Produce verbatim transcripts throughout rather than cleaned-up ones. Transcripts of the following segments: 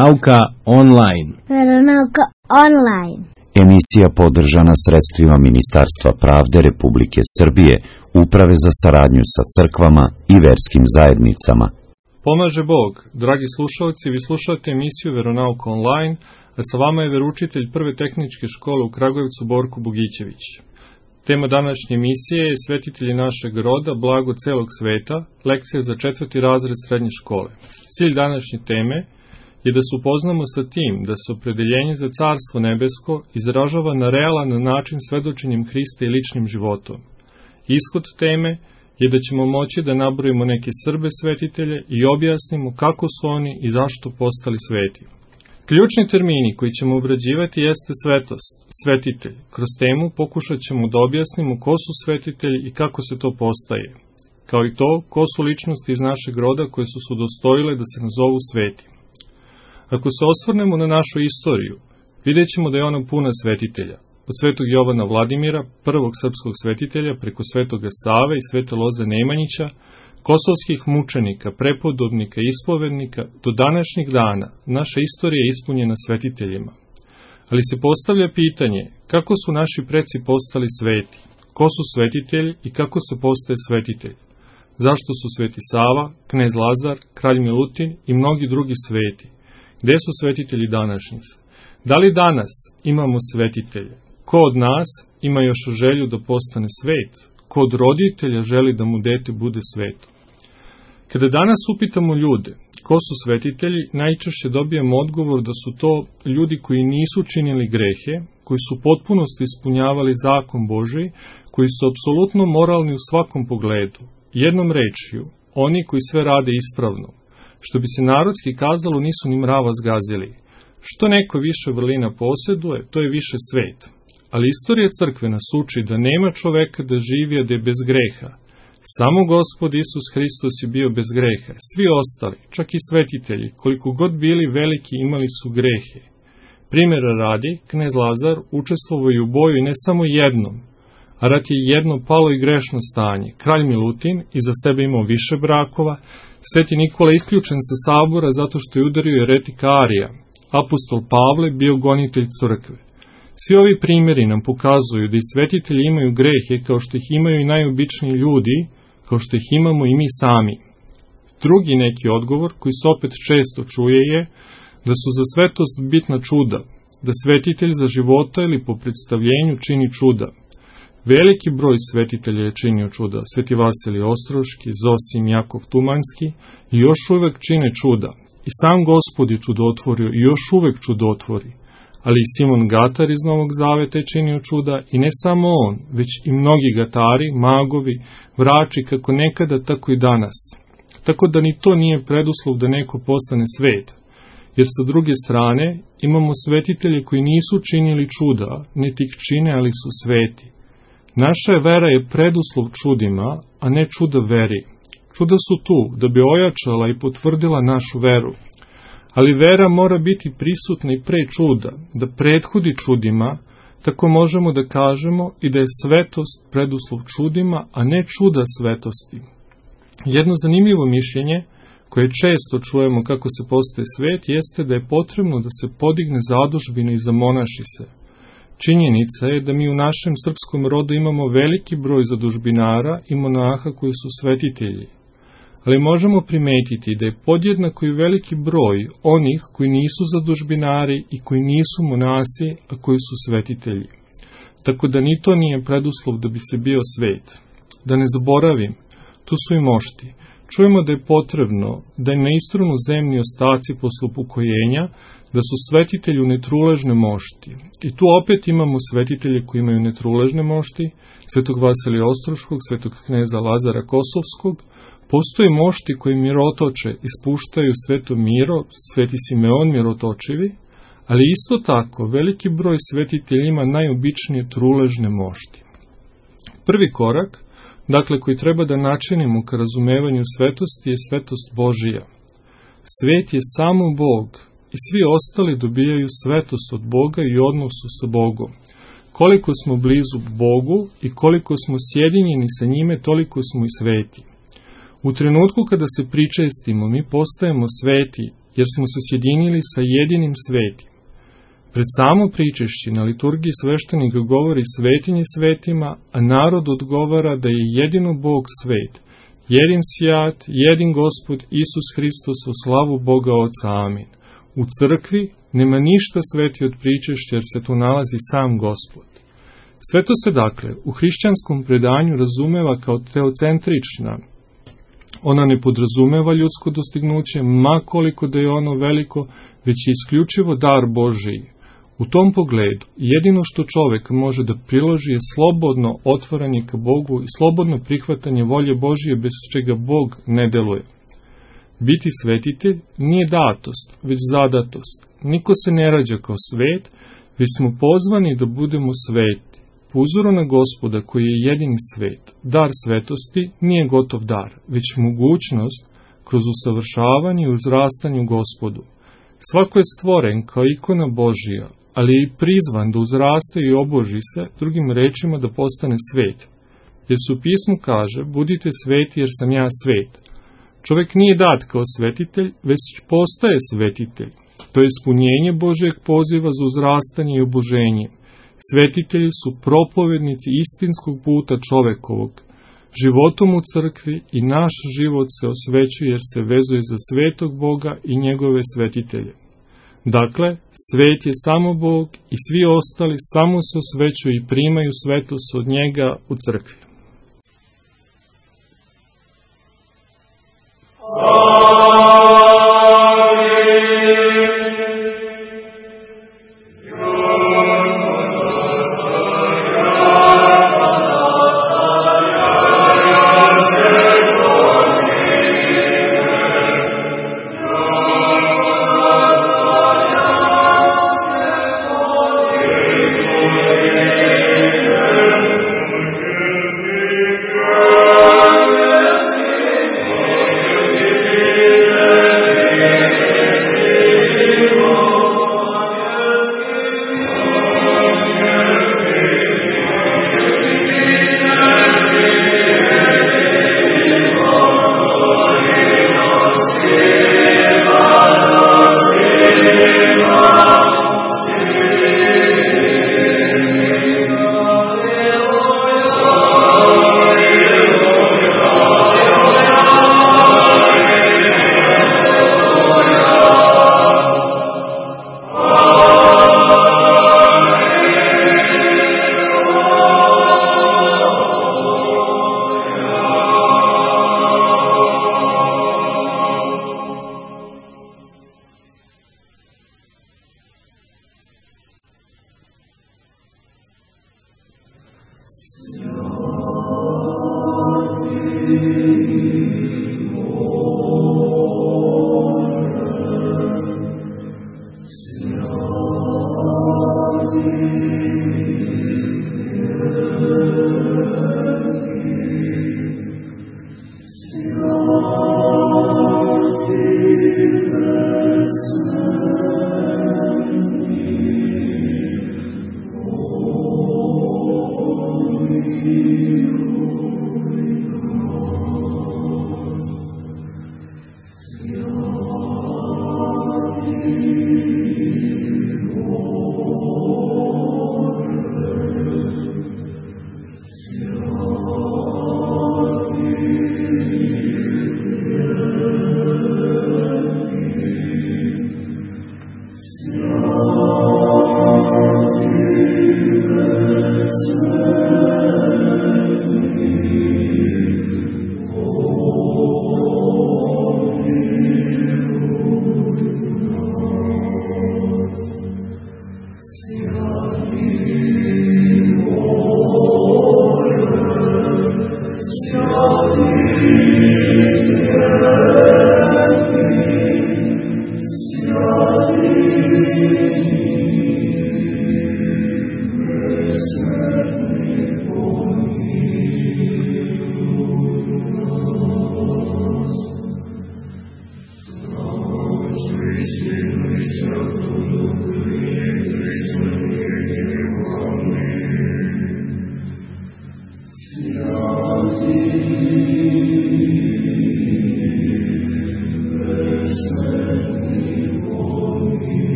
Veronauka online. Veronauka online. Emisija podržana sredstvima Ministarstva pravde Republike Srbije, Uprave za saradnju sa crkvama i verskim zajednicama. Pomaže Bog. Dragi slušalci, vi slušate emisiju Veronauka online, a sa vama je veroučitelj Prve tehničke škole u Kragujevcu Borko Bogićević. Tema današnje emisije je Svetitelji našeg roda, blago celog sveta, lekcija za četvrti razred srednje škole. Cilj današnje teme je da se upoznamo sa tim da se opredeljenje za Carstvo nebesko izražava na realan način svedočenjem Hrista i ličnim životom. Ishod teme je da ćemo moći da nabrojimo neke Srbe svetitelje i objasnimo kako su oni i zašto postali sveti. Ključni termini koji ćemo obrađivati jeste svetost, svetitelj. Kroz temu pokušat ćemo da objasnimo ko su svetitelji i kako se to postaje, kao i to ko su ličnosti iz našeg roda koje su se udostojile da se nazovu sveti. Ako se osvrnemo na našu istoriju, vidjet ćemo da je ona puna svetitelja. Od svetog Jovana Vladimira, prvog srpskog svetitelja, preko svetoga Save i svete Loze Nemanjića, kosovskih mučenika, prepodobnika i ispovednika, do današnjih dana naša istorija je ispunjena svetiteljima. Ali se postavlja pitanje kako su naši preci postali sveti, ko su svetitelji i kako se postaje svetitelj. Zašto su sveti Sava, knez Lazar, kralj Milutin i mnogi drugi sveti? Gde su svetitelji današnjice? Da li danas imamo svetitelje? Ko od nas ima još želju da postane svet? Ko od roditelja želi da mu dete bude sveto? Kada danas upitamo ljude ko su svetitelji, najčešće dobijemo odgovor da su to ljudi koji nisu činili grehe, koji su potpunosti ispunjavali zakon Božiji, koji su apsolutno moralni u svakom pogledu. Jednom rečju, oni koji sve rade ispravno. Što bi se narodski kazalo, nisu ni mrava zgazili. Što neko više vrlina posjeduje, to je više svet. Ali istorija crkve nas uči da nema čoveka da živi, a da je bez greha. Samo Gospod Isus Hristos je bio bez greha. Svi ostali, čak i svetitelji, koliko god bili veliki, imali su grehe. Primjera radi, knez Lazar učestvovao je u boju i ne samo jednom, a rat je jedno palo i grešno stanje. Kralj Milutin iza sebe imao više brakova, Sveti Nikola isključen sa sabora zato što je udario eretika Arija. Apostol Pavle bio gonitelj crkve. Svi ovi primjeri nam pokazuju da i svetitelji imaju grehe kao što ih imaju i najobičniji ljudi, kao što ih imamo i mi sami. Drugi neki odgovor koji se opet često čuje je da su za svetost bitna čuda, da svetitelj za života ili po predstavljenju čini čuda. Veliki broj svetitelja je činio čuda, Sveti Vasilij Ostroški, Zosim, Jakov Tumanski i još uvek čine čuda. I sam Gospod je čudotvorio i još uvek čudotvori. Ali i Simon Gatar iz Novog Zaveta je činio čuda i ne samo on, već i mnogi gatari, magovi, vrači kako nekada, tako i danas. Tako da ni to nije preduslov da neko postane svet. Jer sa druge strane imamo svetitelje koji nisu činili čuda, niti ih čine, ali su sveti. Naša vera je preduslov čudima, a ne čuda veri. Čuda su tu da bi ojačala i potvrdila našu veru. Ali vera mora biti prisutna i pre čuda, da prethodi čudima, tako možemo da kažemo i da je svetost preduslov čudima, a ne čuda svetosti. Jedno zanimljivo mišljenje, koje često čujemo kako se postaje svet, jeste da je potrebno da se podigne zadužbina i zamonaši se. Činjenica je da mi u našem srpskom rodu imamo veliki broj zadužbinara i monaha koji su svetitelji. Ali možemo primetiti da je podjednako i veliki broj onih koji nisu zadužbinari i koji nisu monasi, a koji su svetitelji. Tako da ni to nije preduslov da bi se bio svet. Da ne zaboravim, tu su i mošti. Čujemo da je potrebno da im ne istrunu zemni ostaci posle upokojenja, da su svetitelji u netruležne mošti. I tu opet imamo svetitelje koji imaju netruležne mošti, svetog Vasilija Ostroškog, svetog kneza Lazara Kosovskog. Postoje mošti koji mirotoče, ispuštaju sveto miro, sveti Simeon mirotočivi, ali isto tako veliki broj svetitelja ima najobičnije truležne mošti. Prvi korak, dakle koji treba da načinimo ka razumevanju svetosti, je svetost Božija. Svet je samo Bog i svi ostali dobijaju svetost od Boga i odnosu sa Bogom. Koliko smo blizu Bogu i koliko smo sjedinjeni sa njime, toliko smo i sveti. U trenutku kada se pričestimo, mi postajemo sveti jer smo se sjedinili sa jedinim svetim. Pred samo pričešće na liturgiji sveštenik govori svetinje svetima, a narod odgovara da je jedino Bog svet, jedin sjat, jedin Gospod Isus Hristos u slavu Boga Oca. Amin. U crkvi nema ništa sveti od pričešća, jer se tu nalazi sam Gospod. Sveto se dakle u hrišćanskom predanju razumeva kao teocentrična. Ona ne podrazumeva ljudsko dostignuće, ma koliko da je ono veliko, već je isključivo dar Božiji. U tom pogledu, jedino što čovek može da priloži je slobodno otvaranje ka Bogu i slobodno prihvatanje volje Božije, bez čega Bog ne deluje. Biti svetitelj nije datost, već zadatost. Niko se ne rađa kao svet, već smo pozvani da budemo sveti. Po uzoru na Gospoda koji je jedini svet, dar svetosti nije gotov dar, već mogućnost kroz usavršavanje i uzrastanje u Gospodu. Svako je stvoren kao ikona Božija, ali je i prizvan da uzraste i oboži se, drugim rečima da postane svet. Jer se u pismu kaže, budite sveti jer sam ja svet. Čovek nije dat kao svetitelj, već postaje svetitelj. To je ispunjenje Božjeg poziva za uzrastanje i oboženje. Svetitelji su propovednici istinskog puta čovekovog. Životom u crkvi i naš život se osvećuje jer se vezuje za svetog Boga i njegove svetitelje. Dakle, svet je samo Bog i svi ostali samo se osvećuju i primaju svetost od njega u crkvi. Amen.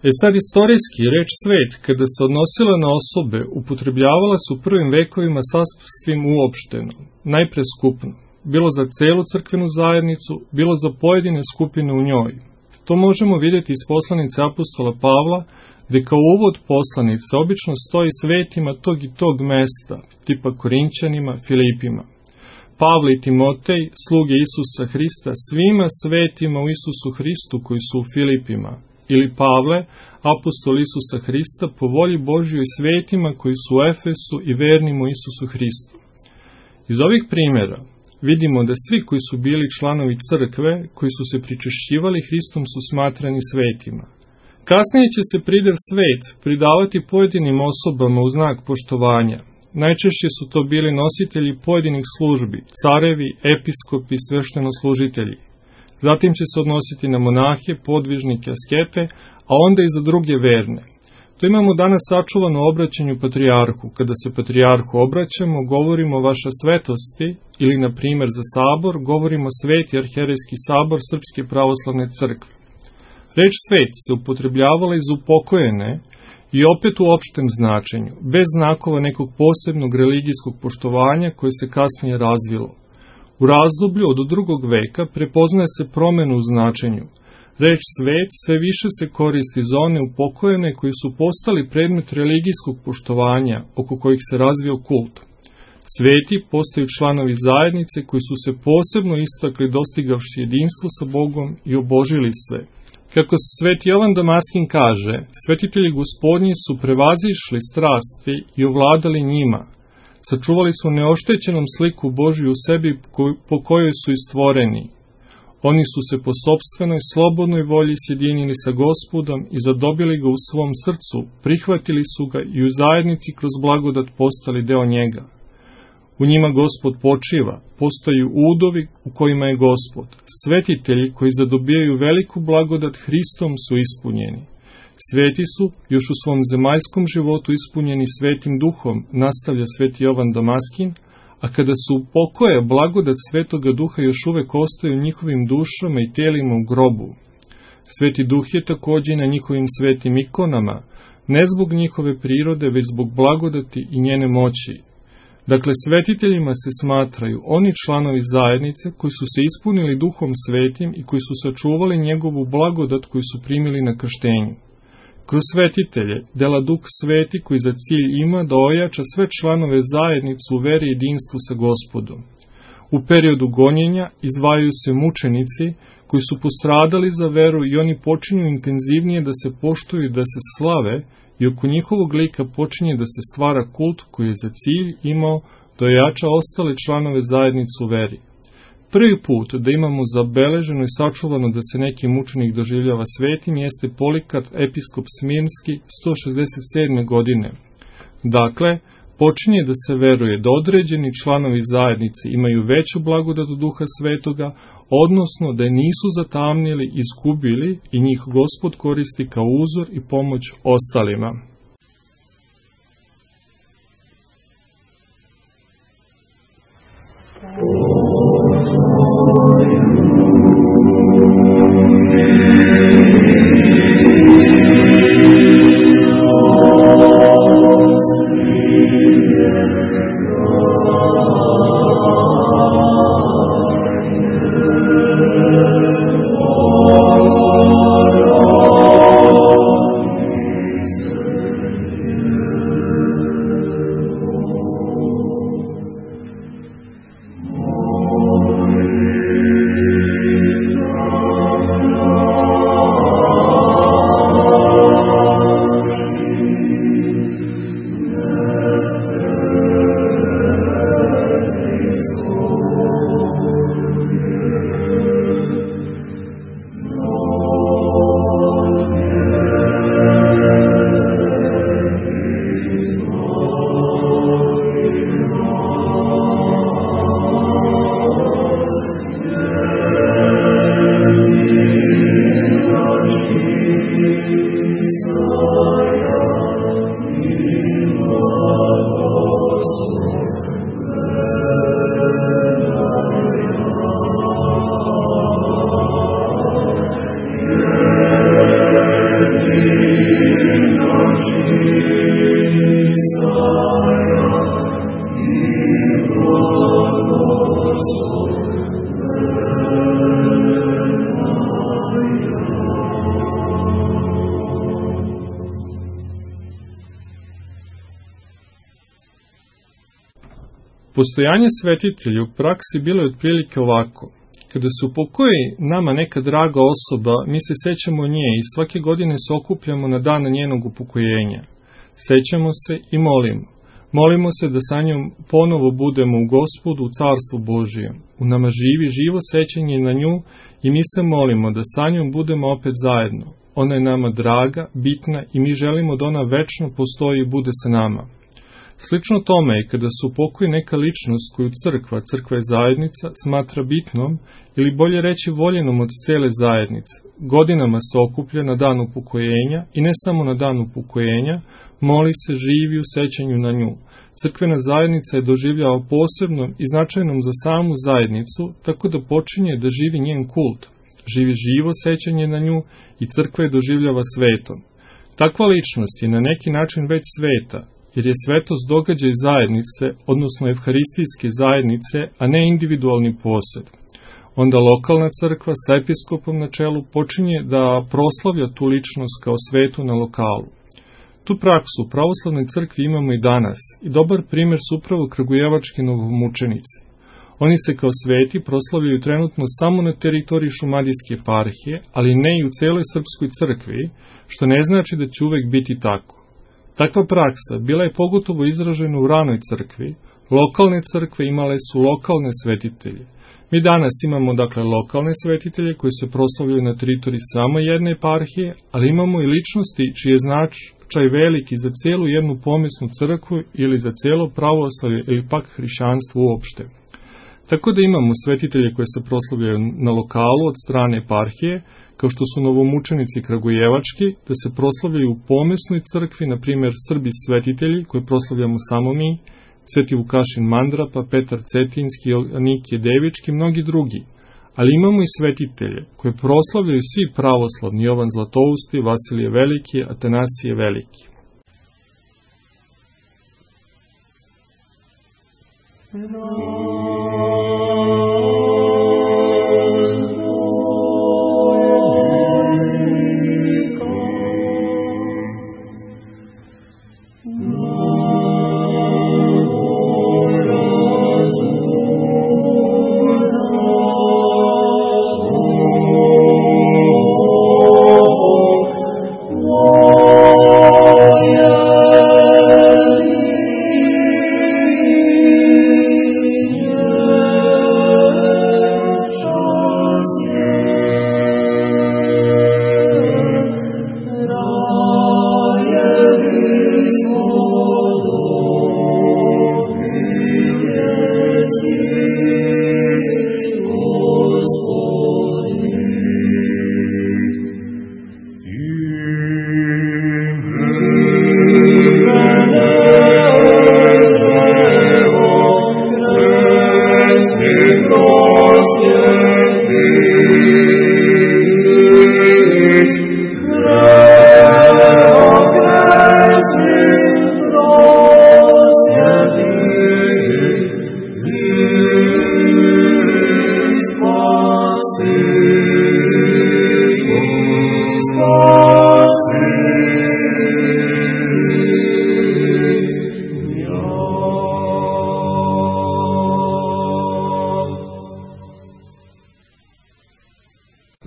E sad, istorijski, reč svet, kada se odnosila na osobe, upotrebljavala se u prvim vekovima sasvim uopšteno, najpre skupno, bilo za celu crkvenu zajednicu, bilo za pojedine skupine u njoj. To možemo vidjeti iz poslanice apostola Pavla, gde kao uvod poslanice obično stoji svetima tog i tog mesta, tipa Korinćanima, Filipima. Pavle i Timotej, sluge Isusa Hrista, svima svetima u Isusu Hristu koji su u Filipima, ili Pavle, apostol Isusa Hrista, po volji Božjoj svetima koji su u Efesu i vernim u Isusu Hristu. Iz ovih primjera vidimo da svi koji su bili članovi crkve, koji su se pričešćivali Hristom, su smatrani svetima. Kasnije će se pridev svet pridavati pojedinim osobama u znak poštovanja. Najčešće su to bili nositelji pojedinih službi, carevi, episkopi, sveštenoslužitelji. Zatim će se odnositi na monahe, podvižnike, askete, a onda i za druge verne. To imamo danas sačuvano u obraćanju patrijarhu. Kada se patrijarhu obraćamo, govorimo vaša svetosti, ili, na primjer, za sabor, govorimo sveti arherejski sabor Srpske pravoslavne crkve. Reč svet se upotrebljavala iz upokojene i opet u opštem značenju, bez znakova nekog posebnog religijskog poštovanja koje se kasnije razvilo. U razdoblju od drugog veka prepoznaje se promenu u značenju. Reč svet sve više se koristi za one upokojene koji su postali predmet religijskog poštovanja, oko kojih se razvio kult. Sveti postaju članovi zajednice koji su se posebno istakli dostigavši jedinstvo sa Bogom i obožili se. Kako se sveti Jovan Damaskin kaže, svetitelji gospodnji su prevazišli strasti i ovladali njima. Sačuvali su neoštećenom sliku Božju u sebi po kojoj su i stvoreni. Oni su se po sopstvenoj slobodnoj volji sjedinili sa Gospodom i zadobili ga u svom srcu, prihvatili su ga i u zajednici kroz blagodat postali deo njega. U njima Gospod počiva, postaju udovi u kojima je Gospod. Svetitelji koji zadobijaju veliku blagodat Hristom su ispunjeni. Sveti su još u svom zemaljskom životu ispunjeni Svetim Duhom, nastavlja sveti Jovan Damaskin, a kada su u pokoje, blagodat Svetoga Duha još uvek ostaje u njihovim dušama i telima u grobu. Sveti Duh je takođe i na njihovim svetim ikonama, ne zbog njihove prirode, već zbog blagodati i njene moći. Dakle, svetiteljima se smatraju oni članovi zajednice koji su se ispunili Duhom Svetim i koji su sačuvali njegovu blagodat koju su primili na krštenju. Kroz svetitelje dela Duh Sveti koji za cilj ima da ojača sve članove zajednice u veri i jedinstvu sa Gospodom. U periodu gonjenja izdvajaju se mučenici koji su postradali za veru i oni počinju intenzivnije da se poštuju i da se slave, i oko njihovog lika počinje da se stvara kult koji je za cilj imao da ojača ostale članove zajednice u veri. Prvi put da imamo zabeleženo i sačuvano da se neki mučenik doživljava svetim jeste Polikat, episkop Smirnski, sto šezdeset sedme godine. Dakle, počinje da se veruje da određeni članovi zajednice imaju veću blagodat Duha Svetoga, odnosno da je nisu zatamnili, izgubili i njih Gospod koristi kao uzor i pomoć ostalima. Amen. Postojanje svetitelja u praksi bilo je otprilike ovako. Kada se upokoji nama neka draga osoba, mi se sećamo nje i svake godine se okupljamo na dan njenog upokojenja. Sećamo se i molimo. Molimo se da sa njom ponovo budemo u Gospodu, u Carstvu Božijem. U nama živi živo sećanje na nju i mi se molimo da sa njom budemo opet zajedno. Ona je nama draga, bitna i mi želimo da ona večno postoji i bude sa nama. Slično tome je kada se upokoji neka ličnost koju crkva, crkva je zajednica, smatra bitnom ili bolje reći voljenom od cele zajednice. Godinama se okuplja na dan upokojenja i ne samo na dan upokojenja, moli se, živi u sećanju na nju. Crkvena zajednica je doživljava posebnom i značajnom za samu zajednicu, tako da počinje da živi njen kult. Živi živo sećanje na nju i crkva je doživljava svetom. Takva ličnost je na neki način već sveta, jer je svetost događaj zajednice, odnosno evharistijske zajednice, a ne individualni posed. Onda lokalna crkva sa episkopom na čelu počinje da proslavlja tu ličnost kao svetu na lokalu. Tu praksu u pravoslavnoj crkvi imamo i danas i dobar primjer su upravo kragujevački novomučenici. Oni se kao sveti proslavljaju trenutno samo na teritoriji Šumadijske eparhije, ali ne i u celoj srpskoj crkvi, što ne znači da će uvek biti tako. Takva praksa bila je pogotovo izražena u ranoj crkvi, lokalne crkve imale su lokalne svetitelje. Mi danas imamo dakle lokalne svetitelje koji se proslavljaju na teritoriji samo jedne eparhije, ali imamo i ličnosti čiji je značaj veliki za celu jednu pomesnu crkvu ili za celo pravoslavlje ili pak hrišćanstvo uopšte. Tako da imamo svetitelje koje se proslavljaju na lokalu od strane eparhije, kao što su novomučenici kragujevački, da se proslavljaju u pomesnoj crkvi, na primjer Srbi svetitelji, koje proslavljamo samo mi, Sveti Vukašin Mandrapa, Petar Cetinski, Nikije Devički i mnogi drugi. Ali imamo i svetitelje, koje proslavljaju svi pravoslavni, Jovan Zlatousti, Vasilije Veliki, Atanasije Veliki.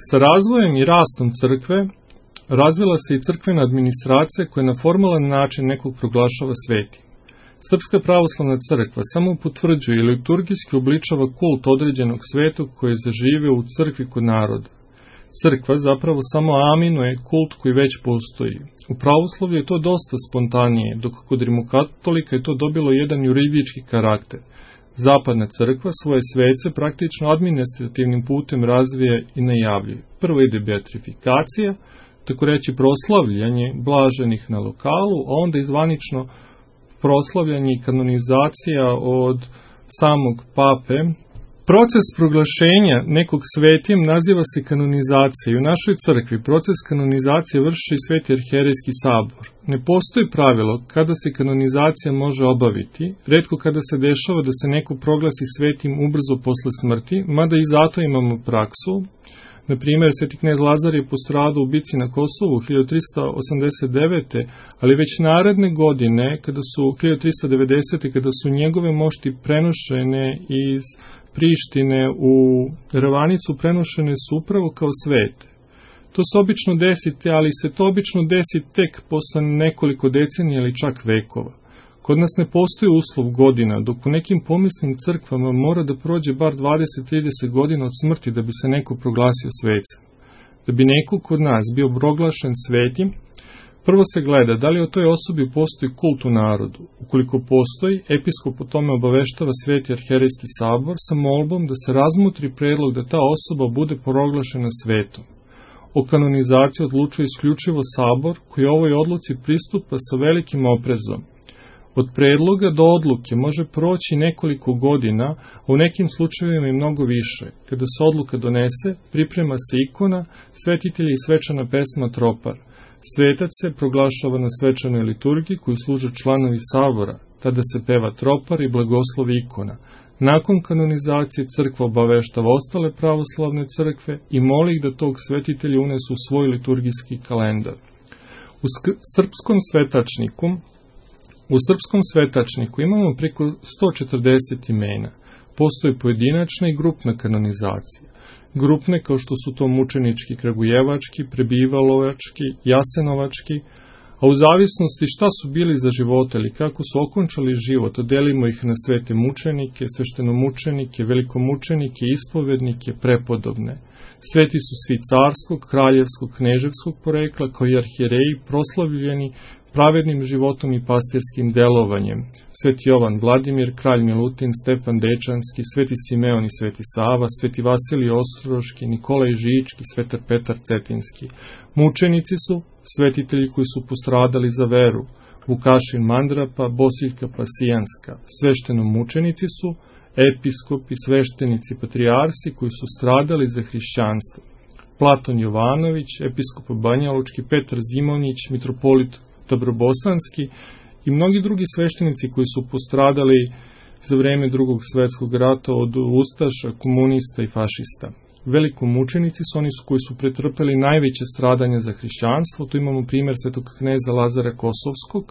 Sa razvojem i rastom crkve razvila se i crkvena administracija koja na formalan način nekog proglašava svetim. Srpska pravoslavna crkva samo potvrđuje ili liturgijski obličava kult određenog svetog koji je zaživeo u crkvi kod naroda. Crkva zapravo samo aminuje kult koji već postoji. U pravoslavlju je to dosta spontanije, dok kod rimokatolika je to dobilo jedan juridički karakter. Zapadna crkva svoje svece praktično administrativnim putem razvije i najavljuje. Prvo ide beatrifikacija, tako reći proslavljanje blaženih na lokalu, a onda izvanično proslavljanje i kanonizacija od samog pape. Proces proglašenja nekog svetim naziva se kanonizacija i u našoj crkvi proces kanonizacije vrši Sveti arhijerejski sabor. Ne postoji pravilo kada se kanonizacija može obaviti, retko kada se dešava da se neko proglasi svetim ubrzo posle smrti, mada i zato imamo praksu Na primjer, sveti knez Lazar je postradao u bici na Kosovu hiljadu trista osamdeset devete. ali već naredne godine, kada su hiljadu trista devedesete. kada su njegove mošti prenošene iz Prištine u Ravanicu, prenošene su upravo kao svete. To se obično desite, ali se to obično desi tek posle nekoliko decenija ili čak vekova. Kod nas ne postoji uslov godina, dok u nekim pomislim crkvama mora da prođe bar dvadeset do trideset godina od smrti da bi se neko proglasio svecem. Da bi neko kod nas bio proglašen svetim, prvo se gleda da li o toj osobi postoji kult u narodu. Ukoliko postoji, episkop o tome obaveštava Sveti arhijerejski sabor sa molbom da se razmotri predlog da ta osoba bude proglašena svetom. O kanonizaciji odlučuje isključivo sabor, koji ovoj odluci pristupa sa velikim oprezom. Od predloga do odluke može proći nekoliko godina, a u nekim slučajevima i mnogo više. Kada se odluka donese, priprema se ikona, svetitelji i svečana pesma tropar. Svetac se proglašava na svečanoj liturgiji koju služe članovi sabora, tada se peva tropar i blagoslovi ikona. Nakon kanonizacije crkva obaveštava ostale pravoslavne crkve i moli ih da tog svetitelja unesu u svoj liturgijski kalendar. U srpskom svetačniku U srpskom svetačniku imamo preko sto četrdeset imena. Postoje pojedinačna i grupna kanonizacija. Grupne kao što su to mučenički, kragujevački, prebivalovački, jasenovački, a u zavisnosti šta su bili za života ili kako su okončali život, delimo ih na svete mučenike, sveštenomučenike, velikomučenike, ispovednike, prepodobne. Sveti su svi carskog, kraljevskog, kneževskog porekla, kao i arhijereji proslavljeni pravednim životom i pastirskim delovanjem. Sveti Jovan Vladimir, kralj Milutin, Stefan Dečanski, sveti Simeon i sveti Sava, sveti Vasilij Ostroški, Nikolaj Žički, svetar Petar Cetinski. Mučenici su svetitelji koji su postradali za veru, Vukašin Mandrapa, Bosiljka Pasijanska. Sveštenomučenici su episkopi, sveštenici, patrijarsi koji su stradali za hrišćanstvo. Platon Jovanović, episkop Banjalučki, Petar Zimonjić, mitropolit Dobrobosanski i mnogi drugi sveštenici koji su postradali za vreme Drugog svetskog rata od ustaša, komunista i fašista. Velikomučenici su oni su koji su pretrpeli najveće stradanje za hrišćanstvo, tu imamo primjer svetog kneza Lazara Kosovskog.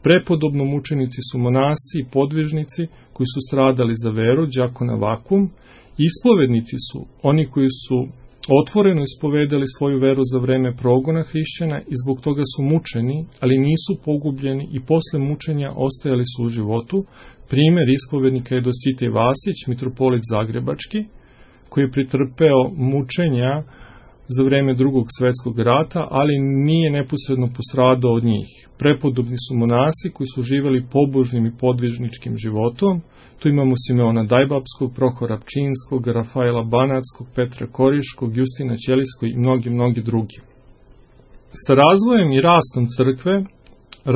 Prepodobno mučenici su monasi i podvižnici koji su stradali za veru, đakona Vakum. Ispovednici su oni koji su otvoreno ispovedali svoju veru za vreme progona hrišćana i zbog toga su mučeni, ali nisu pogubljeni i posle mučenja ostajali su u životu. Primjer ispovednika je Dositej Vasić, mitropolit Zagrebački, koji je pretrpeo mučenja za vreme Drugog svetskog rata, ali nije neposredno postradao od njih. Prepodobni su monasi koji su živjeli pobožnim i podvižničkim životom. Tu imamo Simeona Dajbapskog, Prohora Pčinskog, Rafaela Banackog, Petra Koriškog, Justina Ćelijskog i mnogi, mnogi drugi. Sa razvojem i rastom crkve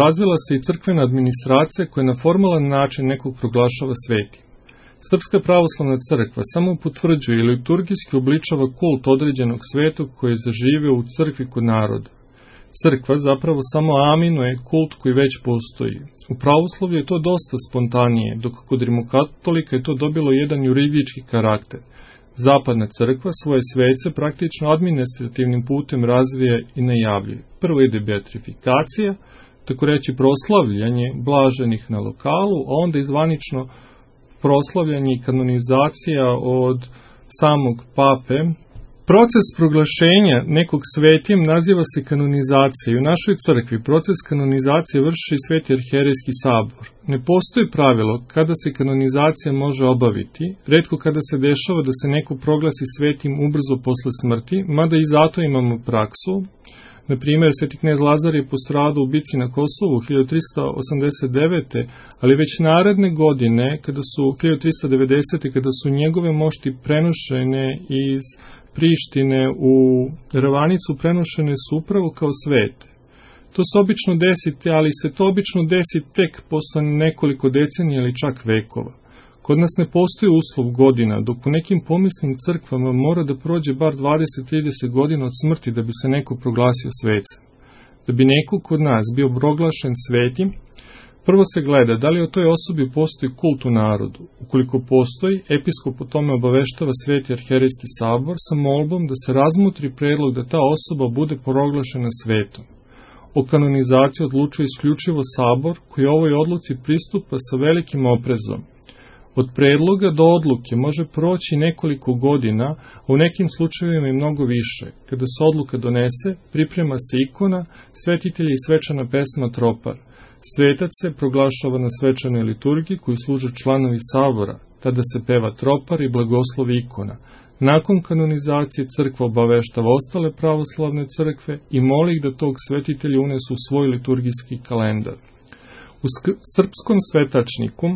razvila se i crkvena administracija koja na formalan način nekog proglašava svetim. Srpska pravoslavna crkva samo potvrđuje i liturgijski obličava kult određenog svetog koji je zaživio u crkvi kod naroda. Crkva zapravo samo aminuje kult koji već postoji. U pravoslavlju je to dosta spontanije, dok kod rimokatolika je to dobilo jedan juridički karakter. Zapadna crkva svoje svece praktično administrativnim putem razvija i najavljuje. Prvo ide beatrifikacija, tako reći proslavljanje blaženih na lokalu, a onda izvanično proslavljanje i kanonizacija od samog pape. Proces proglašenja nekog svetim naziva se kanonizacija i u našoj crkvi proces kanonizacije vrši Sveti arhijerejski sabor. Ne postoji pravilo kada se kanonizacija može obaviti, retko kada se dešava da se neko proglasi svetim ubrzo posle smrti, mada i zato imamo praksu. Na primjer, sveti knez Lazar je postradao u bici na Kosovu hiljadu trista osamdeset devete. ali već naredne godine, kada su hiljadu trista devedesete. kada su njegove mošti prenošene iz Prištine u Ravanicu, prenošene su upravo kao svete. To se obično desite, ali se to obično desi tek posle nekoliko decenija ili čak vekova. Kod nas ne postoji uslov godina, dok u nekim pomislim crkvama mora da prođe bar dvadeset do trideset godina od smrti da bi se neko proglasio svecem. Da bi neko kod nas bio proglašen svetim, Prvo se gleda da li o toj osobi postoji kult u narodu. Ukoliko postoji, episkop o tome obaveštava Sveti arhijerejski sabor sa molbom da se razmotri predlog da ta osoba bude proglašena svetom. O kanonizaciji odlučuje isključivo sabor koji ovoj odluci pristupa sa velikim oprezom. Od predloga do odluke može proći nekoliko godina, a u nekim slučajevima i mnogo više. Kada se odluka donese, priprema se ikona, svetitelji i svečana pesma tropar. Svetac se proglašava na svečanoj liturgiji koju služe članovi sabora, tada se peva tropar i blagoslovi ikona. Nakon kanonizacije crkva obaveštava ostale pravoslavne crkve i moli ih da tog svetitelja unesu u svoj liturgijski kalendar. U srpskom svetačniku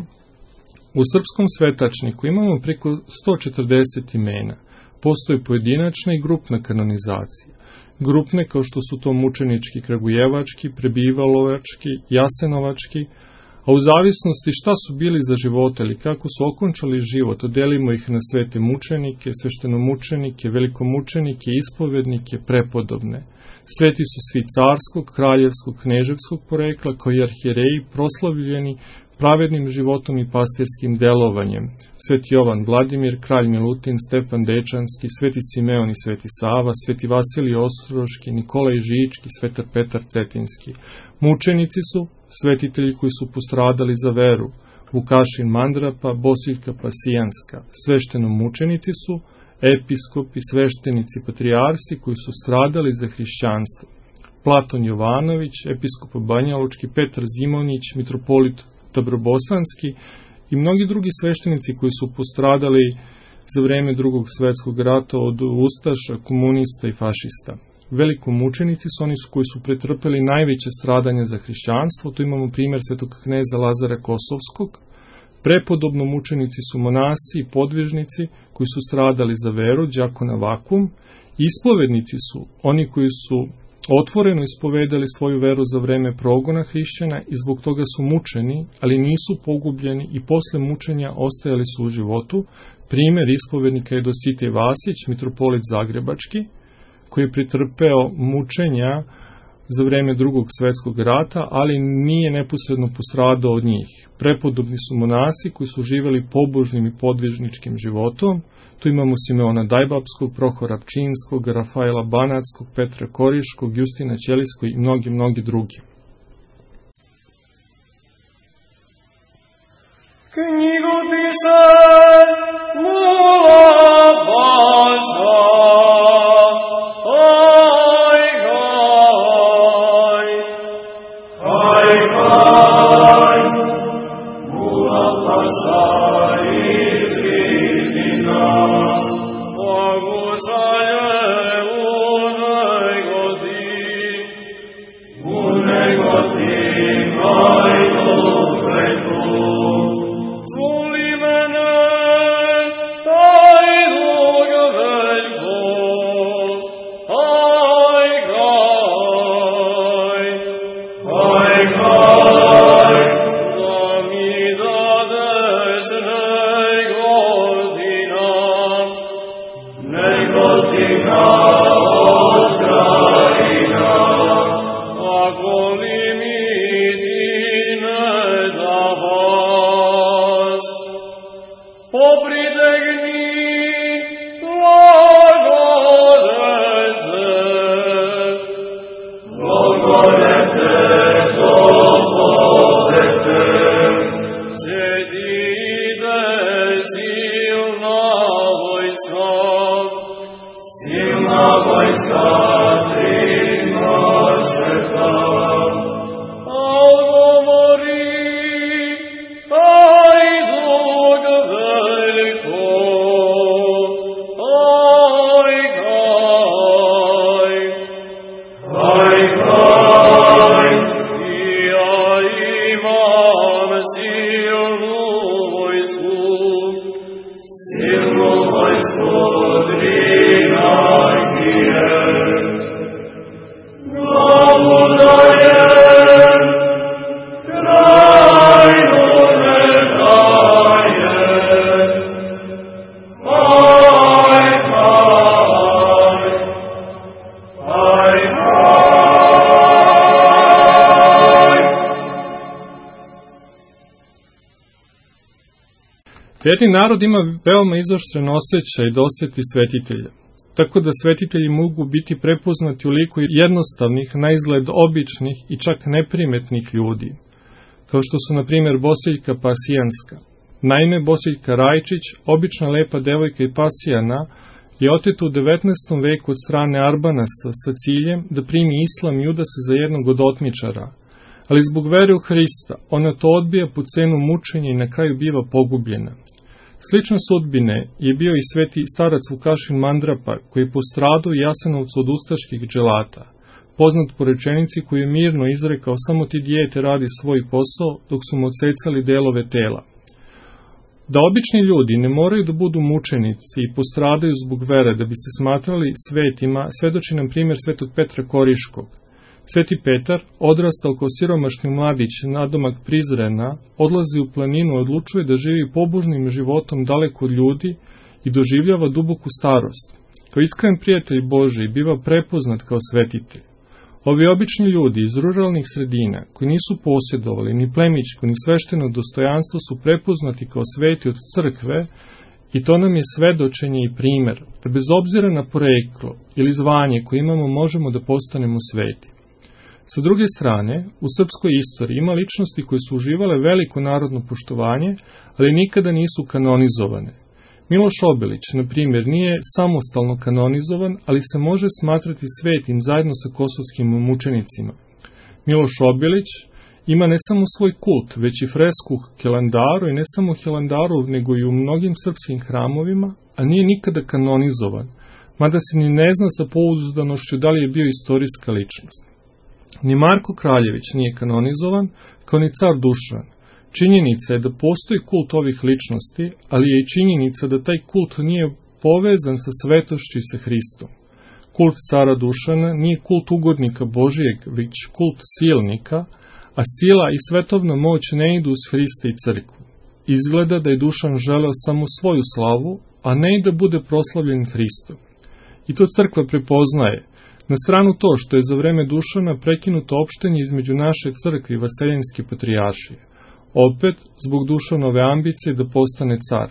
U srpskom svetačniku imamo preko sto četrdeset imena. Postoje pojedinačna i grupna kanonizacija. Grupne kao što su to mučenički, kragujevački, prebivalovački, jasenovački, a u zavisnosti šta su bili za života ili kako su okončali život, delimo ih na svete mučenike, sveštenomučenike, velikomučenike, ispovednike, prepodobne. Sveti su svi carskog, kraljevskog, kneževskog porekla, kao i arhijereji proslavljeni pravednim životom i pastirskim delovanjem. Sveti Jovan Vladimir, kralj Milutin, Stefan Dečanski, Sveti Simeon i Sveti Sava, Sveti Vasilij Ostroški, Nikolaj Žički, Svetar Petar Cetinski. Mučenici su svetitelji koji su postradali za veru, Vukašin Mandrapa, Bosiljka Pasijanska. Sveštenomučenici su episkopi, sveštenici, patrijarsi koji su stradali za hrišćanstvo. Platon Jovanović, episkop Banjalučki, Petar Zimonić, mitropolit Dobrobosanski i mnogi drugi sveštenici koji su postradali za vreme Drugog svetskog rata od ustaša, komunista i fašista. Velikomučenici su oni koji su pretrpeli najveće stradanje za hrišćanstvo, tu imamo primjer svetog kneza Lazara Kosovskog. Prepodobno mučenici su monasi i podvižnici koji su stradali za veru, đakona Vakum. Ispovednici su oni koji su otvoreno ispovedali svoju veru za vreme progona hrišćana i zbog toga su mučeni, ali nisu pogubljeni i posle mučenja ostajali su u životu. Primjer ispovednika je Dositej Vasić, mitropolit Zagrebački, koji je pretrpeo mučenja za vreme Drugog svetskog rata, ali nije neposredno postradao od njih. Prepodobni su monasi koji su živjeli pobožnim i podvižničkim životom. Tu imamo Simeona Dajbapskog, Prohora Pčinskog, Rafaela Banackog, Petra Koriškog, Justina Ćelijskog i mnogi, mnogi drugi. Knjigopise Mula Baza, haj, haj, haj, haj, Mula Baza iz Vidina, Bogusalje u negodi, u negodi, haj, dobreku. Čuli mene, taj dug veljko, haj, haj, haj, haj, da mi dadeš negodina, negodina od krajina, ako li mi ti ne daš, popridegni blagodete, blagodete dobodete, sjedide silna vojska, silna vojska tri nošeta, odgovori taj dug veliko, haj, haj, haj, haj, i ja imam silnu vojsku, silnu vojsku tri nagije. Verni narod ima veoma izoštren osjećaj da osjeti svetitelja, tako da svetitelji mogu biti prepoznati u liku jednostavnih, na izgled običnih i čak neprimetnih ljudi, kao što su, na primjer, Bosiljka Pasijanska. Naime, Bosiljka Rajčić, obična lepa devojka i pasijana, je oteta u devetnaestom veku od strane Arbanasa sa ciljem da primi islam i uda se za jednog od otmičara, ali zbog vere u Hrista ona to odbija po cenu mučenja i na kraju biva pogubljena. Slične sudbine je bio i sveti starac Vukašin Mandrapa, koji je postradao u Jasenovcu od ustaških dželata, poznat po rečenici koju je mirno izrekao: samo ti dijete radi svoj posao, dok su mu odsecali delove tela. Da obični ljudi ne moraju da budu mučenici i postradaju zbog vere da bi se smatrali svetima, svedoči nam primjer svetog Petra Koriškog. Sveti Petar, odrastao kao siromašni mladić nadomak Prizrena, odlazi u planinu i odlučuje da živi pobožnim životom daleko od ljudi i doživljava duboku starost. Kao iskren prijatelj Božji biva prepoznat kao svetitelj. Ovi obični ljudi iz ruralnih sredina, koji nisu posjedovali ni plemićko ni svešteno dostojanstvo, su prepoznati kao sveti od crkve, i to nam je svedočenje i primer, da bez obzira na poreklo ili zvanje koje imamo možemo da postanemo sveti. Sa druge strane, u srpskoj istoriji ima ličnosti koje su uživale veliko narodno poštovanje, ali nikada nisu kanonizovane. Miloš Obilić, na primjer, nije samostalno kanonizovan, ali se može smatrati svetim zajedno sa kosovskim mučenicima. Miloš Obilić ima ne samo svoj kult, već i fresku Hilandaru, i ne samo Hilandaru, nego i u mnogim srpskim hramovima, a nije nikada kanonizovan, mada se ni ne zna sa pouzdanošću da li je bio istorijska ličnost. Ni Marko Kraljević nije kanonizovan, kao ni car Dušan. Činjenica je da postoji kult ovih ličnosti, ali je i činjenica da taj kult nije povezan sa svetošću i sa Hristom. Kult cara Dušana nije kult ugodnika Božijeg, već kult silnika, a sila i svetovna moć ne idu uz Hrista i crkvu. Izgleda da je Dušan želeo samo svoju slavu, a ne i da bude proslavljen Hristom. I to crkva prepoznaje. Na stranu to što je za vreme Dušana prekinuto opštenje između naše crkve i Vaseljenske patrijaršije. Opet, zbog Dušanove ambicije da postane car.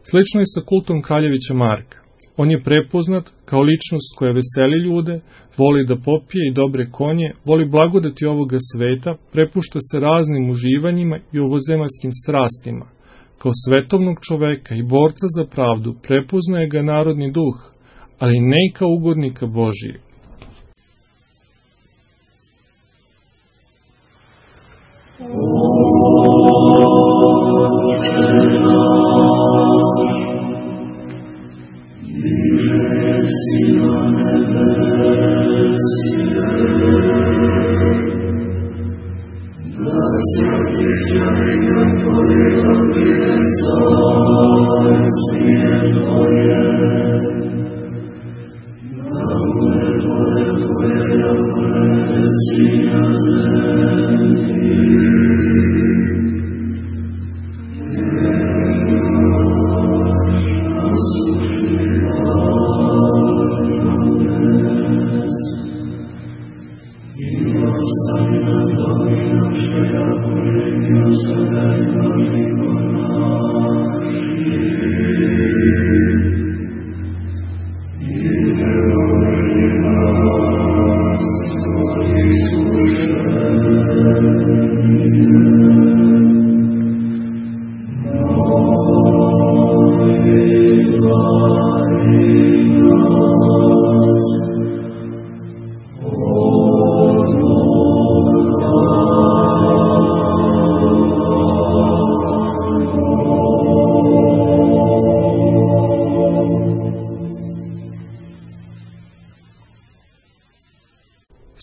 Slično je sa kultom Kraljevića Marka. On je prepoznat kao ličnost koja veseli ljude, voli da popije i dobre konje, voli blagodati ovoga sveta, prepušta se raznim uživanjima i ovozemaljskim strastima. Kao svetovnog čoveka i borca za pravdu prepoznaje ga narodni duh, ali ne i kao ugodnika Božijeg.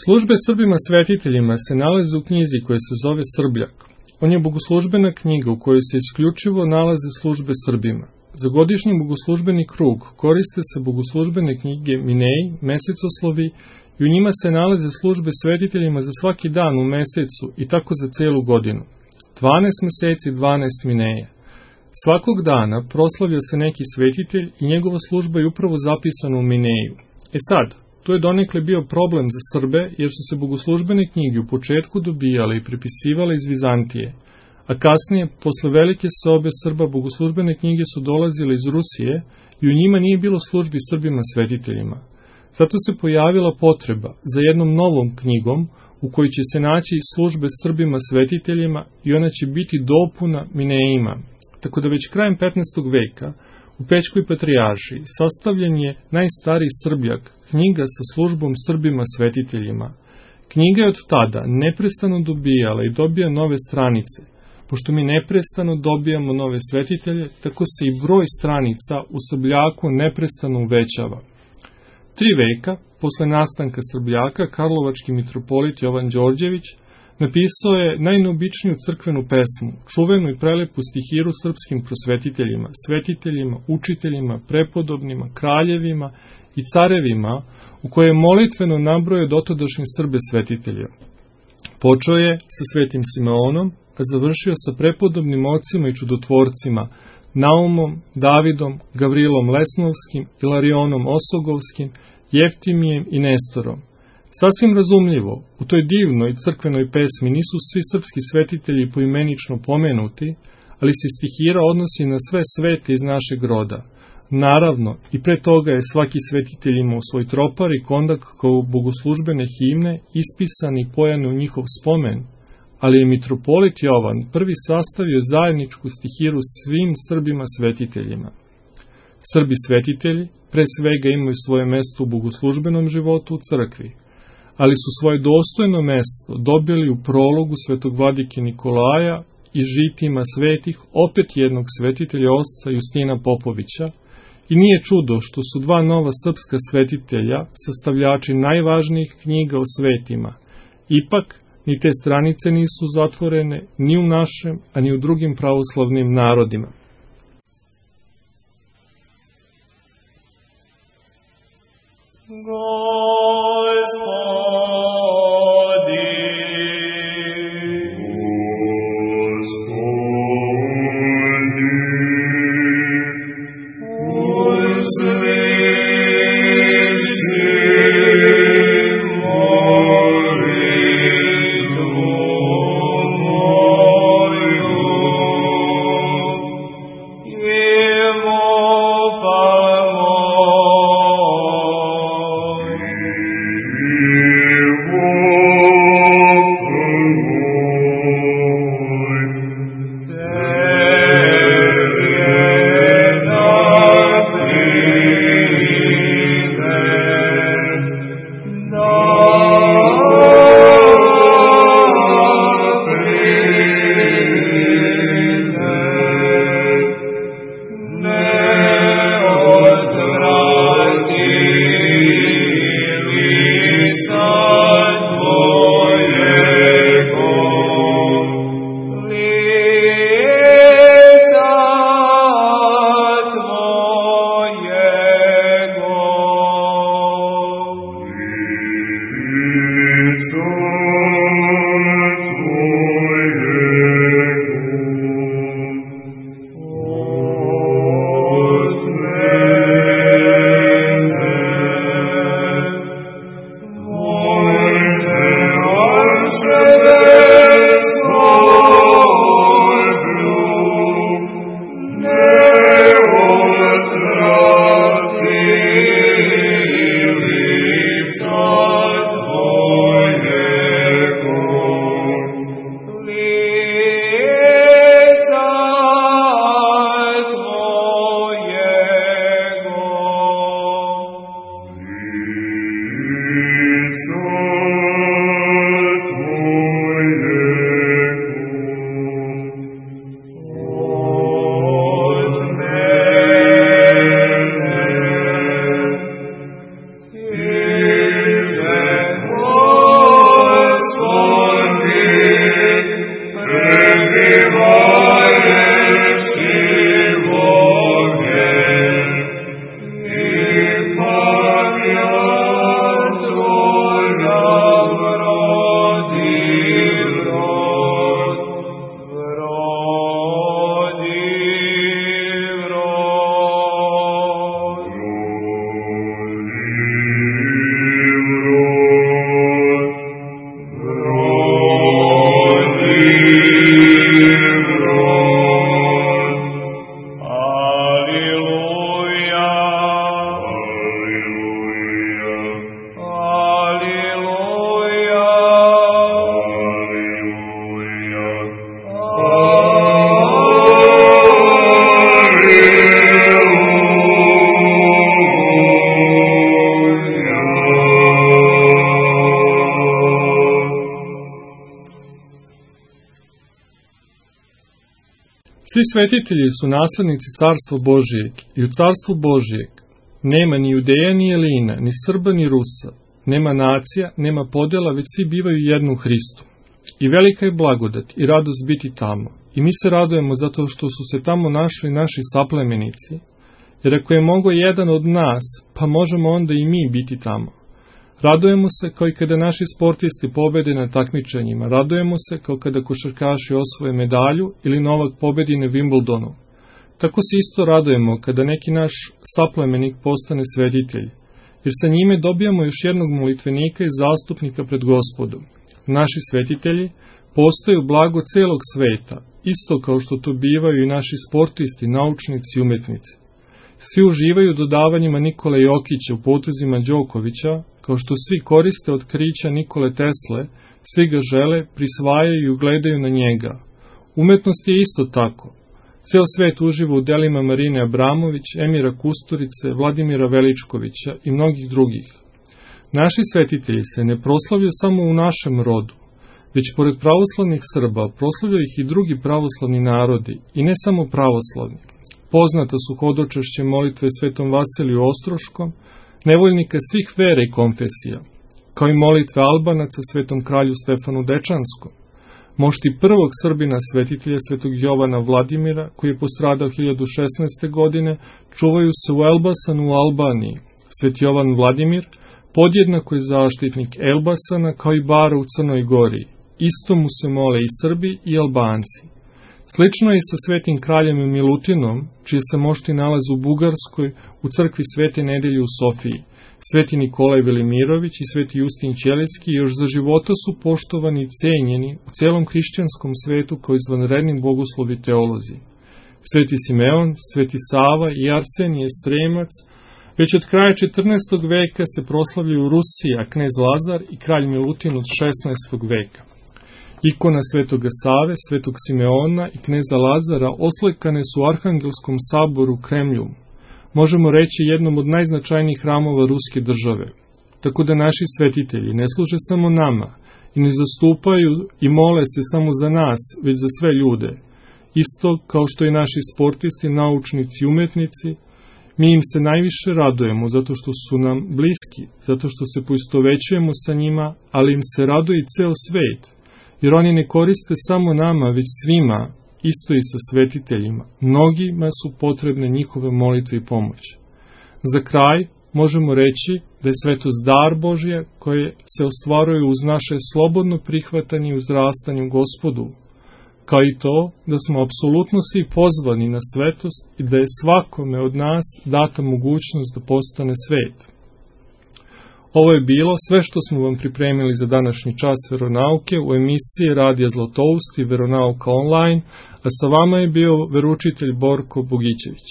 Službe Srbima svetiteljima se nalaze u knjizi koja se zove Srbljak. On je bogoslužbena knjiga u kojoj se isključivo nalaze službe Srbima. Za godišnji bogoslužbeni krug koriste se bogoslužbene knjige Mineji, mesecoslovi, i u njima se nalaze službe svetiteljima za svaki dan u mesecu i tako za celu godinu. dvanaest meseci, dvanaest mineja. Svakog dana proslavlja se neki svetitelj i njegova služba je upravo zapisana u Mineju. E sad, to je donekle bio problem za Srbe, jer su se bogoslužbene knjige u početku dobijale i prepisivale iz Vizantije, a kasnije, posle velike sobe Srba, bogoslužbene knjige su dolazile iz Rusije i u njima nije bilo službi Srbima svetiteljima. Zato se pojavila potreba za jednom novom knjigom u kojoj će se naći službe Srbima svetiteljima i ona će biti dopuna Mineima. Tako da već krajem petnaestog veka u Pećkoj patrijaršiji sastavljen je najstariji Srbljak, knjiga sa službom Srbima svetiteljima. Knjiga je od tada neprestano dobijala i dobija nove stranice. Pošto mi neprestano dobijamo nove svetitelje, tako se i broj stranica u Srbljaku neprestano uvećava. Tri veka, posle nastanka Srbljaka, karlovački mitropolit Jovan Đorđević napisao je najneobičniju crkvenu pesmu, čuvenu i prelepu stihiru srpskim prosvetiteljima, svetiteljima, učiteljima, prepodobnima, kraljevima i carevima, u kojoj je molitveno nabrojao dotadašnje Srbe svetitelje. Počeo je sa svetim Simeonom, a završio sa prepodobnim ocima i čudotvorcima, Naumom, Davidom, Gavrilom Lesnovskim, Ilarionom Osogovskim, Jeftimijem i Nestorom. Sasvim razumljivo, u toj divnoj crkvenoj pesmi nisu svi srpski svetitelji poimenično pomenuti, ali se stihira odnosi na sve svete iz našeg roda. Naravno, i pre toga je svaki svetitelj imao svoj tropar i kondak kao bogoslužbene himne ispisani i pojane u njihov spomen, ali je mitropolit Jovan prvi sastavio zajedničku stihiru svim Srbima svetiteljima. Srbi svetitelji pre svega imaju svoje mesto u bogoslužbenom životu u crkvi, ali su svoje dostojno mesto dobili u prologu svetog vladike Nikolaja i žitima svetih opet jednog svetitelja Osca Justina Popovića, i nije čudo što su dva nova srpska svetitelja sastavljači najvažnijih knjiga o svetima. Ipak, ni te stranice nisu zatvorene ni u našem, a ni u drugim pravoslavnim narodima. Imo Svi svetitelji su naslednici carstva Božijeg i u carstvu Božijeg nema ni Judeja ni Elina, ni Srba ni Rusa, nema nacija, nema podela, već svi bivaju jedno u Hristu. I velika je blagodat i radost biti tamo. I mi se radujemo zato što su se tamo našli naši saplemenici, jer ako je mogo jedan od nas, pa možemo onda i mi biti tamo. Radujemo se kao i kada naši sportisti pobede na takmičenjima, radujemo se kao kada košarkaši osvoje medalju ili Novak pobedi na Wimbledonu. Tako se isto radujemo kada neki naš saplemenik postane svetitelj, jer sa njime dobijamo još jednog molitvenika i zastupnika pred Gospodom. Naši svetitelji postaju blago celog sveta, isto kao što to bivaju i naši sportisti, naučnici i umetnici. Svi uživaju dodavanjima Nikole Jokića u potezima Đokovića, kao što svi koriste otkrića Nikole Tesle, svi ga žele, prisvajaju i gledaju na njega. Umetnost je isto tako. Ceo svet uživa u delima Marine Abramović, Emira Kusturice, Vladimira Veličkovića i mnogih drugih. Naši svetitelji se ne proslavljaju samo u našem rodu, već pored pravoslavnih Srba proslavljaju ih i drugi pravoslavni narodi, i ne samo pravoslavni. Poznata su hodočašće molitve Svetom Vasiliju Ostroškom, nevoljnika svih vera i konfesija, kao i molitve Albanaca Svetom kralju Stefanu Dečanskom. Mošti prvog Srbina svetitelja Svetog Jovana Vladimira, koji je postradao hiljadu šesnaeste. godine, čuvaju se u Elbasanu u Albaniji. Sveti Jovan Vladimir podjednako je zaštitnik Elbasana kao i Bara u Crnoj Gori. Isto mu se mole i Srbi i Albanci. Slično je i sa svetim kraljem Milutinom, čije se mošti nalaze u Bugarskoj, u crkvi Svete Nedelje u Sofiji. Sveti Nikolaj Velimirović i sveti Justin Ćelijski još za života su poštovani i cenjeni u celom hrišćanskom svetu kao izvanredni bogoslovi teolozi. Sveti Simeon, sveti Sava i Arsenije Sremac već od kraja četrnaestog. veka se proslavljaju Rusija, knez Lazar i kralj Milutin od šesnaestog. veka. Ikona svetoga Save, svetog Simeona i kneza Lazara oslikane su u Arhangelskom saboru u Kremlju, možemo reći jednom od najznačajnijih hramova ruske države. Tako da naši svetitelji ne služe samo nama i ne zastupaju i mole se samo za nas, već za sve ljude. Isto kao što i naši sportisti, naučnici i umetnici, mi im se najviše radujemo zato što su nam bliski, zato što se poistovećujemo sa njima, ali im se raduje i ceo svet, jer oni ne koriste samo nama, već svima, isto i sa svetiteljima. Mnogima su potrebne njihove molitve i pomoć. Za kraj možemo reći da je svetost dar Božja koje se ostvaruje uz naše slobodno prihvatanje i uzrastanje u Gospodu, kao i to da smo apsolutno svi pozvani na svetost i da je svakome od nas data mogućnost da postane svet. Ovo je bilo sve što smo vam pripremili za današnji čas veronauke u emisiji Radija Zlatoust i Veronauka online, a sa vama je bio veroučitelj Borko Bogićević.